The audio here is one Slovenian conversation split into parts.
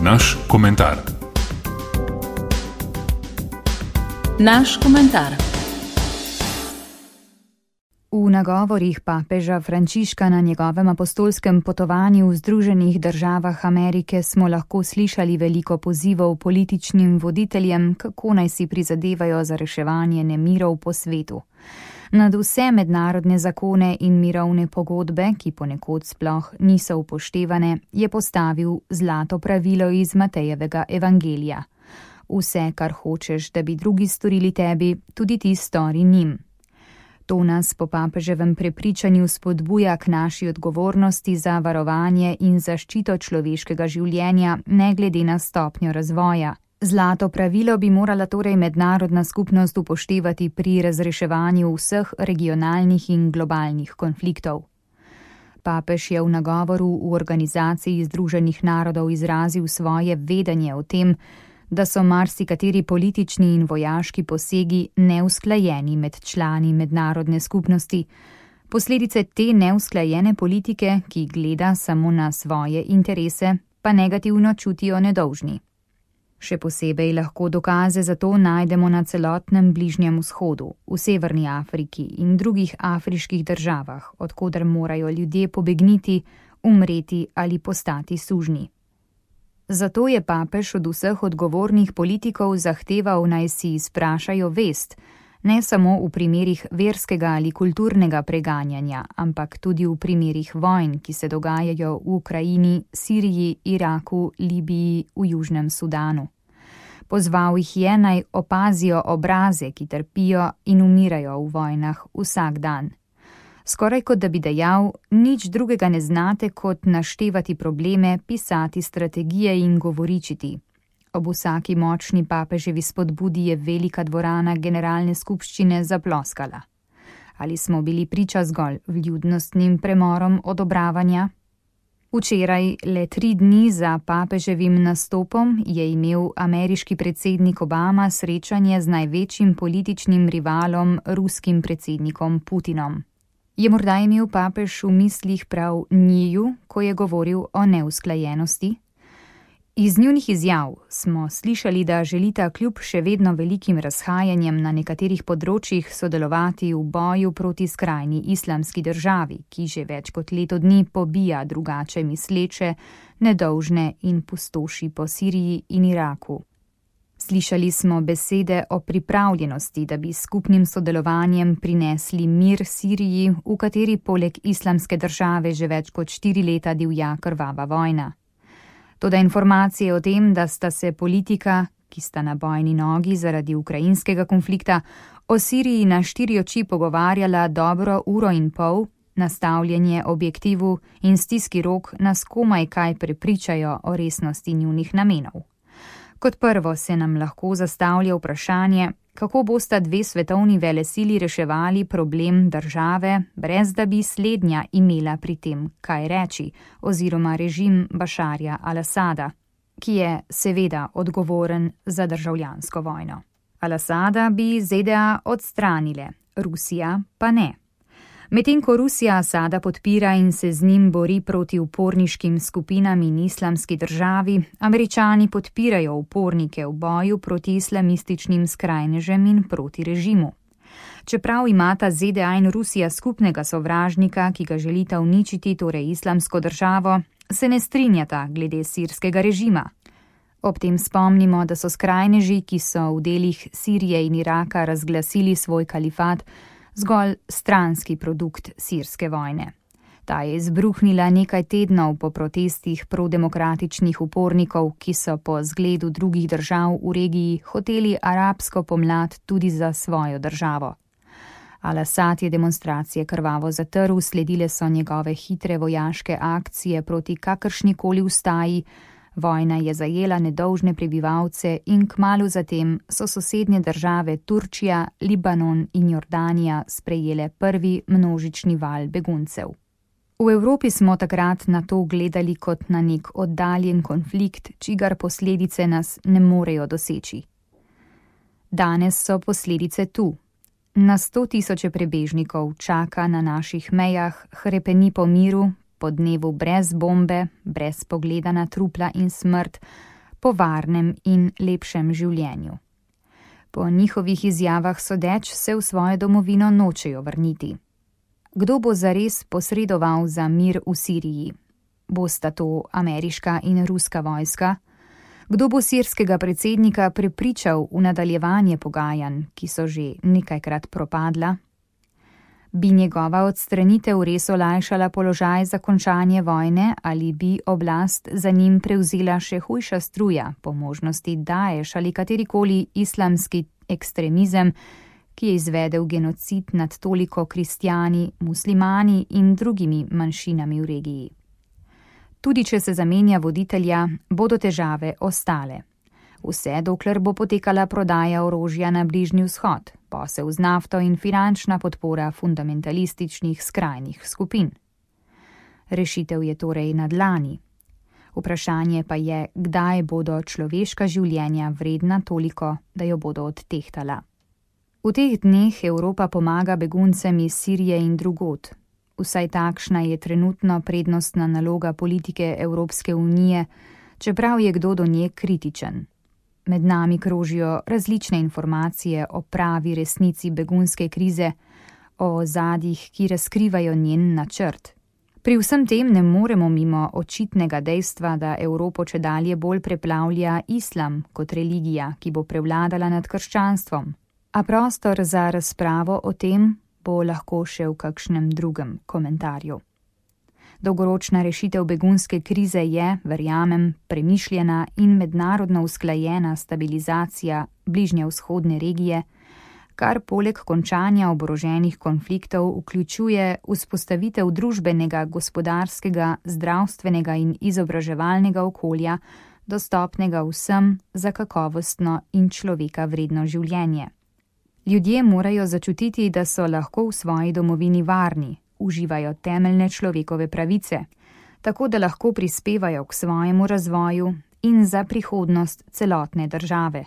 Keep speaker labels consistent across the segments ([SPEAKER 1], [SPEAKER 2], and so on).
[SPEAKER 1] Naš komentar.
[SPEAKER 2] Naš komentar.
[SPEAKER 3] V nagovorih papeža Frančiška na njegovem apostolskem potovanju v Združenih državah Amerike smo lahko slišali veliko pozivov političnim voditeljem, kako naj si prizadevajo za reševanje nemirov po svetu. Nad vse mednarodne zakone in mirovne pogodbe, ki ponekod sploh niso upoštevane, je postavil zlato pravilo iz Matejevega evangelija. Vse, kar hočeš, da bi drugi storili tebi, tudi ti stori njim. To nas po papeževem prepričanju spodbuja k naši odgovornosti za varovanje in zaščito človeškega življenja, ne glede na stopnjo razvoja. Zlato pravilo bi morala torej mednarodna skupnost upoštevati pri razreševanju vseh regionalnih in globalnih konfliktov. Papež je v nagovoru v Organizaciji Združenih narodov izrazil svoje vedenje o tem, da so marsikateri politični in vojaški posegi neusklajeni med člani mednarodne skupnosti. Posledice te neusklajene politike, ki gleda samo na svoje interese, pa negativno čutijo nedolžni. Še posebej lahko dokaze za to najdemo na celotnem Bližnjem vzhodu, v Severni Afriki in drugih afriških državah, od koder morajo ljudje pobegniti, umreti ali postati sužnji. Zato je papež od vseh odgovornih politikov zahteval, naj si izprašajo vest, ne samo v primerih verskega ali kulturnega preganjanja, ampak tudi v primerih vojn, ki se dogajajo v Ukrajini, Siriji, Iraku, Libiji, v Južnem Sudanu. Pozval jih je, naj opazijo obraze, ki trpijo in umirajo v vojnah vsak dan. Skoraj kot da bi dejal, nič drugega ne znate, kot naštevati probleme, pisati strategije in govoričiti. Ob vsaki močni papeževi spodbudi je velika dvorana generalne skupščine zaploskala. Ali smo bili priča zgolj vljudnostnim premorom odobravanja? Včeraj, le 3 dni za papeževim nastopom, je imel ameriški predsednik Obama srečanje z največjim političnim rivalom, ruskim predsednikom Putinom. Je morda imel papež v mislih prav njiju, ko je govoril o neusklajenosti? Iz njunih izjav smo slišali, da želita kljub še vedno velikim razhajanjem na nekaterih področjih sodelovati v boju proti skrajni islamski državi, ki že več kot leto dni pobija drugače misleče, nedolžne in pustoši po Siriji in Iraku. Slišali smo besede o pripravljenosti, da bi skupnim sodelovanjem prinesli mir Siriji, v kateri poleg islamske države že več kot 4 leta divja krvava vojna. Toda informacije o tem, da sta se politika, ki sta na bojni nogi zaradi ukrajinskega konflikta, o Siriji na 4 oči pogovarjala dobro 1,5 ure, nastavljanje objektivu in stiski rok nas komaj kaj prepričajo o resnosti njunih namenov. Kot prvo se nam lahko zastavlja vprašanje, kako bosta 2 svetovni velesili reševali problem države, brez da bi slednja imela pri tem kaj reči, oziroma režim Bašarja al-Asada, ki je seveda odgovoren za državljansko vojno. Al-Asada bi ZDA odstranile, Rusija pa ne. Medtem ko Rusija Asada podpira in se z njim bori proti uporniškim skupinam in islamski državi, Američani podpirajo upornike v boju proti islamističnim skrajnežem in proti režimu. Čeprav imata ZDA in Rusija skupnega sovražnika, ki ga želita uničiti, torej islamsko državo, se ne strinjata glede sirskega režima. Ob tem spomnimo, da so skrajneži, ki so v delih Sirije in Iraka razglasili svoj kalifat, zgolj stranski produkt sirske vojne. Ta je izbruhnila nekaj tednov po protestih prodemokratičnih upornikov, ki so po zgledu drugih držav v regiji hoteli arabsko pomlad tudi za svojo državo. Al-Asad je demonstracije krvavo zatrl, sledile so njegove hitre vojaške akcije proti kakršnikoli ustaji, vojna je zajela nedolžne prebivalce in kmalu zatem so sosednje države Turčija, Libanon in Jordanija sprejele prvi množični val beguncev. V Evropi smo takrat na to gledali kot na nek oddaljen konflikt, čigar posledice nas ne morejo doseči. Danes so posledice tu. Na 100 000 prebežnikov čaka na naših mejah, hrepeni po miru, po dnevu brez bombe, brez pogleda na trupla in smrt, po varnem in lepšem življenju. Po njihovih izjavah sodeč se v svojo domovino nočejo vrniti. Kdo bo zares posredoval za mir v Siriji? Bosta to ameriška in ruska vojska? Kdo bo sirskega predsednika prepričal v nadaljevanje pogajanj, ki so že nekajkrat propadla? Bi njegova odstranitev res olajšala položaj za končanje vojne ali bi oblast za njim prevzela še hujša struja, po možnosti Daesh ali katerikoli islamski ekstremizem, ki je izvedel genocid nad toliko kristjani, muslimani in drugimi manjšinami v regiji. Tudi če se zamenja voditelja, bodo težave ostale. Vse dokler bo potekala prodaja orožja na Bližnji vzhod, posel z nafto in finančna podpora fundamentalističnih skrajnih skupin. Rešitev je torej na dlani. Vprašanje pa je, kdaj bodo človeška življenja vredna toliko, da jo bodo odtehtala. V teh dneh Evropa pomaga beguncem iz Sirije in drugod. Vsaj takšna je trenutno prednostna naloga politike Evropske unije, čeprav je kdo do nje kritičen. Med nami krožijo različne informacije o pravi resnici begunske krize, o ozadjih, ki razkrivajo njen načrt. Pri vsem tem ne moremo mimo očitnega dejstva, da Evropo čedalje bolj preplavlja islam kot religija, ki bo prevladala nad krščanstvom. A prostor za razpravo o tem bo lahko še v kakšnem drugem komentarju. Dolgoročna rešitev begunske krize je, verjamem, premišljena in mednarodno usklajena stabilizacija bližnjevzhodne regije, kar poleg končanja oboroženih konfliktov vključuje vzpostavitev družbenega, gospodarskega, zdravstvenega in izobraževalnega okolja, dostopnega vsem za kakovostno in človeka vredno življenje. Ljudje morajo začutiti, da so lahko v svoji domovini varni, uživajo temeljne človekove pravice, tako da lahko prispevajo k svojemu razvoju in za prihodnost celotne države.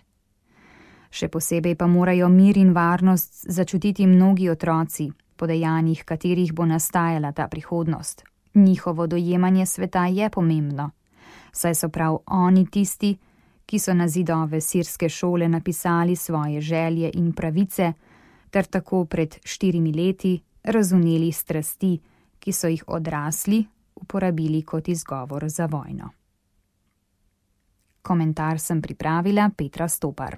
[SPEAKER 3] Še posebej pa morajo mir in varnost začutiti mnogi otroci, po dejanjih katerih bo nastajala ta prihodnost. Njihovo dojemanje sveta je pomembno, saj so prav oni tisti, ki so na zidove sirske šole napisali svoje želje in pravice, ter tako pred 4 leti razumeli strasti, ki so jih odrasli uporabili kot izgovor za vojno. Komentar sem pripravila Petra Stopar.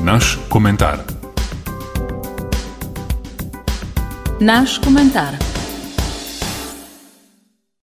[SPEAKER 2] Naš komentar. Naš komentar.